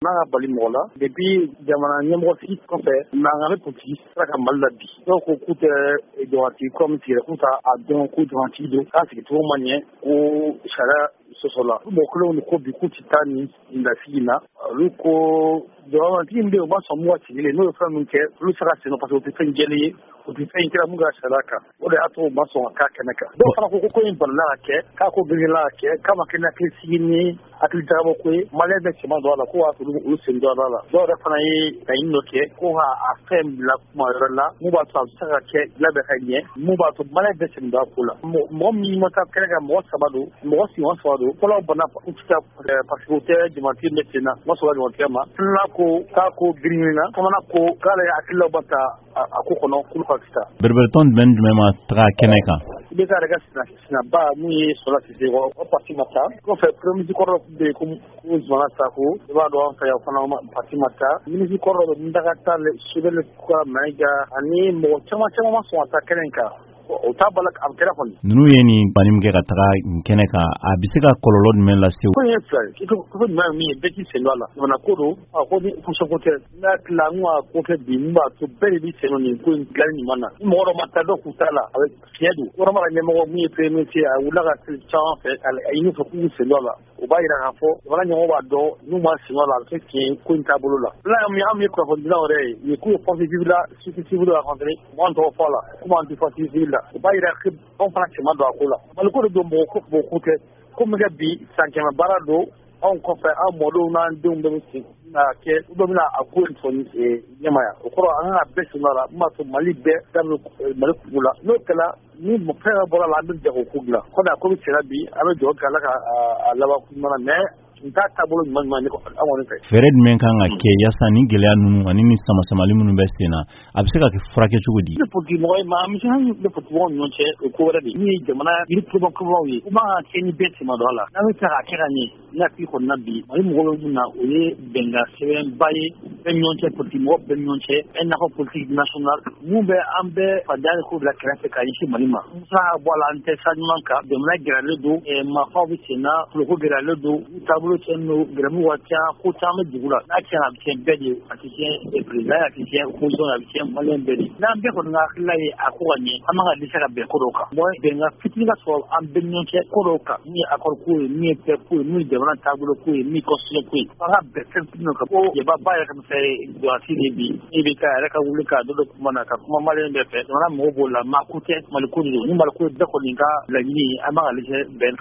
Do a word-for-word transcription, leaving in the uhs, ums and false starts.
N'a ka bali mɔgɔ la depuis jamana ɲɛmɔgɔ sigi kɔfɛ, mankan bɛ politique sira kan Mali la bi. Dɔw ko k'u tɛ jamanatigi kura min sigira, k'u t'a dɔn ko jamanatigi don, k'a sigicogo ma ɲɛ, ko sariya sɔsɔ la. Mɔgɔ kelenw de ko bi k'u tɛ taa nin lasigi na. Olu ko jamanatigi min bɛ yen, u ma sɔn mun ka sigilen, n'o ye fɛn min kɛ, olu tɛ se ka sen parce que o tɛ fɛn jɛlen ye, o tɛ fɛn kɛra mun ka sariya kan. O de y'a to u ma sɔn ka k'a kɛnɛ kan. Dɔw fana ko ko ko in balila ka kɛ, k'a ko girinna ka kɛ, k'a ma kɛ ni hakili sigi ni hakili jagabɔ ko ye. Maliyɛn bɛɛ cɛman don a la, ko b'a to olu sen don a la. Dɔw yɛrɛ fana ye laɲini dɔ kɛ ko ka a fɛn bila kuma wɛrɛ la, mun b'a to a bɛ se ka kɛ labɛn ka ɲɛ, mun b'a to maliyɛn bɛɛ sen don a ko la. Mɔgɔ min ma taa kɛnɛ kan, mɔgɔ saba don, mɔgɔ sigiyɔrɔ saba don. Fɔlɔ banna u tɛ taa parce que u tɛ jamanatigi bɛ sen na, u ma sɔn ka jamanatigi ma. Filanan ko k'a ko girinna, sabanan ko k'ale hakililaw ba ta a ko kɔnɔ, k'olu ka taa. Bereberetɔn jumɛn jumɛn ma taga kɛnɛ kan? I bɛ taa yɛrɛ ka sinaba mun ye Sɔla Sise, o parti ma taa. Kɔfɛ premier ministre kɔrɔ bɛ yen ko Zumana Sako, i b'a dɔn an fɛ yan, o fana parti ma taa. Ministre kɔrɔ dɔ Muntaka Tall, Choguel Mayiga ani mɔgɔ caman caman ma sɔn ka taa kɛnɛ in kan. O t'a bala a kɛra kɔni. Ninnu ye nin banni min kɛ ka taga nin kɛnɛ kan, a bɛ se ka kɔlɔlɔ jumɛn lase? Ko in ye fila ye. Ko jumɛn ye min ye, bɛɛ k'i sen don a la. Jamana ko don, a ko ni ko tɛ. N'a hakili la, n ka ko kɛ bi mun b'a to bɛɛ de b'i sen don nin ko in dilanni ɲuman na. Ni mɔgɔ dɔ ma taa, dɔ k'u t'a la, a bɛ fiɲɛ don. Kɔrɔma ka ɲɛmɔgɔ mun ye premier ministre ye, a wulila ka se caman fɛ, a ɲini fɛ k'u sen don a la. O b'a yira k'a fɔ jamana ɲɛmɔgɔ b'a dɔn n'u ma sen don a la, a bɛ kɛ tiɲɛ ye ko in taabolo la. Filanan min, an ye kunnafonidilaw yɛrɛ ye, nin k'u ye force vive la, société civile rencontré, mɔgɔ tɔgɔ fɔ a la, komi an tɛ force civile la. O b'a yira anw fana cɛman don a ko la. Mali ko de don, mɔgɔ ko mɔgɔ ko tɛ. Ko min kɛ bi, san kɛmɛ baara don. Anw kɔfɛ, an mɔdenw n'an denw bɛɛ bɛ sen na kɛ, u bɛɛ bɛna a ko in fɔ ɲɛmaya. O kɔrɔ, an kan ka bɛɛ sen don a la, mun b'a to Mali bɛɛ daminɛ Mali kungo la. N'o kɛra, ni fɛn dɔ bɔra la, an bɛ jago ko dilan. Kɔmi a ko bɛ senna bi, an bɛ dugawu kɛ Ala ka a laban ko ɲuman na, mais n t'a taabolo ɲuman ɲuman an kɔni fɛ. Fɛɛrɛ jumɛn kan ka kɛ yaasa ni gɛlɛya ninnu ani ni sama-samali minnu bɛ sen na, a bɛ se ka kɛ furakɛ cogo di? Ne politique mɔgɔ ye, maa misɛnnin bɛ politique mɔgɔw ni ɲɔgɔn cɛ, o ko wɛrɛ de ye. Min ye jamana yiri kurubakurubaw ye, u man ka kɛ ni bɛɛ sen ma don a la. N'an bɛ se k'a kɛ ka ɲɛ, ne hakili kɔni na bi, Mali mɔgɔ bɛ mun na, o ye bɛnkan sɛbɛnba ye bɛɛ ni ɲɔgɔn cɛ, politique mɔgɔ bɛɛ ni ɲɔgɔn cɛ, un accord politique national mun bɛ an bɛɛ fadenya ko bila kɛrɛfɛ ka ɲɛsin Mali ma. Musa ka bɔ a la, an tɛ sira ɲuman kan. Jamana gɛlɛyalen don, marifaw bɛ sen na, koloko gɛlɛyalen don, taabolo tiɲɛnen don, gɛrɛmu ka ca, ko caman bɛ dugu la. N'a tiɲɛna, a bɛ tiɲɛ bɛɛ de ye. A tɛ tiɲɛ président, a tɛ tiɲɛ opposition, a bɛ tiɲɛ maliyɛn bɛɛ de. N'an bɛɛ kɔni ka hakilila ye a ko ka ɲɛ, an man ka dɛsɛ ka bɛn ko dɔw kan. Mɔgɔ bɛnkan fitinin ka sɔrɔ an bɛɛ ni ɲɔgɔn cɛ ko dɔw kan, min ye accord ko ye, min ye paix ko ye, min ye jamana taabolo ko ye, min ye constitution ko ye. An ka bɛn fɛn fitinin kan. Ko jaba ba yɛrɛ ka misɛn jɔnsi de bi, e bɛ ka yɛrɛ ka wuli ka dɔ dɔ kuma na ka kuma maliyɛn bɛɛ fɛ. Jamana mɔgɔw b'o la, maa ko tɛ, Mali ko de don. Ni Mali ko ye bɛɛ kɔni ka laɲini ye, an man ka dɛsɛ bɛn kan.